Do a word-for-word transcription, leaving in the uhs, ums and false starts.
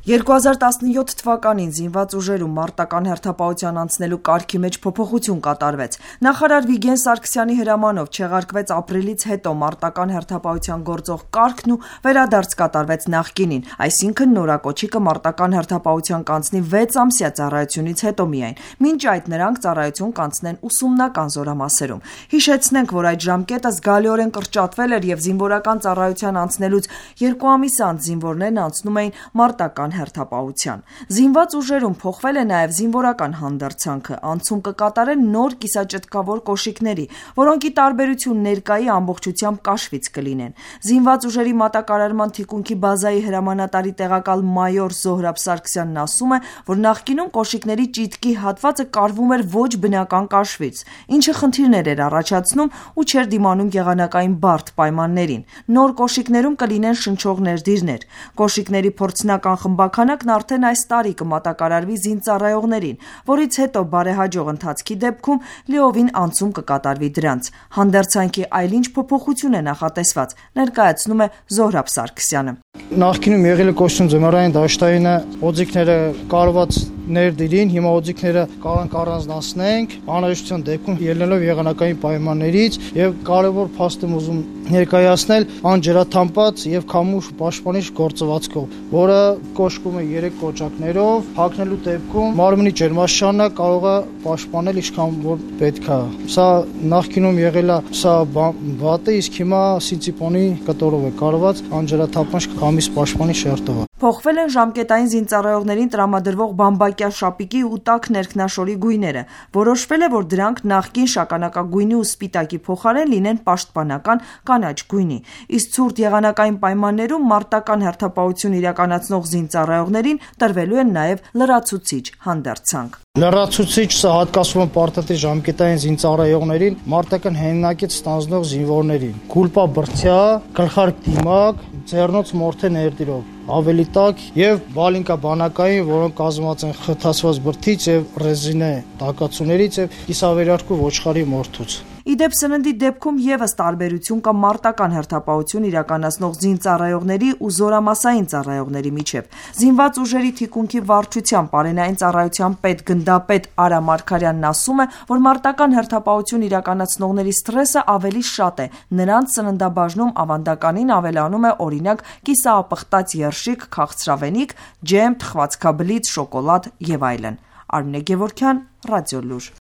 երկու հազար տասնյոթ թվականին զինված ուժերում մարտական հերթապահության անցնելու կարգի մեջ փոփոխություն կատարվեց։ Նախարար Վիգեն Սարգսյանի հրամանով չեղարկվեց ապրիլից հետո մարտական հերթապահության գործող կարգն ու վերադարձ կատարվեց նախկինին, այսինքն նորակոչիկը մարտական հերթապահության կանցնի վեց ամսյա ծառայությունից հետո միայն։ Մինչ այդ նրանք ծառայություն կանցնեն ուսումնական զորամասերում։ Հիշեցնենք, որ այդ ժամկետը զգալիորեն կրճատվել էր եւ զինվորական ծառայության անցնելուց երկու ամիս անց զինվորներն անցնում էին մարտական հերթապահության։ Զինված ուժերում փոխվել է նաև զինվորական հանդերձանքը, անցում կկատարեն նոր կիսաճտկավոր կոշիկների, որոնք ի տարբերություն ներկայի ամբողջությամբ կաշվից կլինեն։ Զինված ուժերի մատակարարման թիկունքի բազայի հրամանատարի տեղակալ մայոր Զոհրաբ Սարգսյանն ասում է, որ նախկինում կոշիկների ճիտկի հատվածը կարվում էր ոչ բնական կաշվից, ինչը խնդիրներ էր առաջացնում ու չէր դիմանում եղանակային բարդ պայմաններին։ Նոր կոշիկներում կլինեն շնչող ներդիրներ։ Կոշիկների փորձնական խմբաքանակն արդեն այս տարի կմատակարարվի զինծառայողներին, որից հետո բարեհաջող ընթացքի դեպքում լիովին անցում կկատարվի դրանց։ Հանդերձանքի այլ ինչ փոփոխություն է նախատեսված, ներկայացնում է Զոհրաբ Սարգսյանը։ Նախկինում եղել է կոչվում ձմեռային դաշտայինը, օձիքները կարված ներդիրին, հիմա օձիքները կարող առանձնացնենք, անհրաժեշտության դեպքում ելնելով եղանակային պայմաններից եւ կարևոր փաստ եմ ուզում ներկայացնել անջրաթամբած եւ քամուշ պաշտպանիչ գործվածքով, որը կոչվում է երեք կոճակներով, հագնելու դեպքում մարմնի ջերմաստիճանը կարող է պաշտպանել ինչքան որ պետք է։ Սա նախկինում եղել է սա վատը, իսկ հիմա սինցիպոնի կտորով է կարված անջրաթափանչ քամիս պաշտպանիչ շերտով։ Փոխվել են ժամկետային զինծառայողներին տրամադրվող բամբակյա շապիկի ու տաք ներքնաշորի գույները։ Որոշվել է, որ դրանք նախկին շագանակագույնի ու սպիտակի փոխարեն լինեն պաշտպանական կանաչ գույնի։ Իսկ ցուրտ եղանակային պայմաններում մարտական հերթապահություն իրականացնող զինծառայողներին տրվելու են նաև լրացուցիչ հանդերձանք։ Լրացուցիչ սա հատկացվում է պարտադիր ժամկետային զինծառայողներին, մարտական հենակից ստանձնող զինվորներին։ Գուլպա բրցյա, գլխարկ դիմակ, ձեռնոց մորթե ներդիրով, ավելի տաք եւ բալինկա բանակային, որոնք կազմված են խթացված բրդից եւ ռեզինե տակացուներից եւ կիսավերարկու ոչխարի մորթուց։ Իդեպ սննդի դեպքում եւս տարբերություն կա մարտական հերթապահություն իրականացնող զինծառայողների ու զորամասային ծառայողների միջև։ Զինված ուժերի թիկունքի վարչության պարենային ծառայության պետ գնդապետ Արա Մարգարյանն ասում է, որ մարտական հերթապահություն իրականացնողների սթրեսը ավելի շատ է։ Նրանց սննդաբաժնում ավանդականին ավելանում է օրինակ կիսաապխտած երշիկ, քաղցրավենիք, ջեմ, թխվածքաբլիթ, շոկոլադ եւ այլն։ Արմինե Գևորգյան, Ռադիոլուր։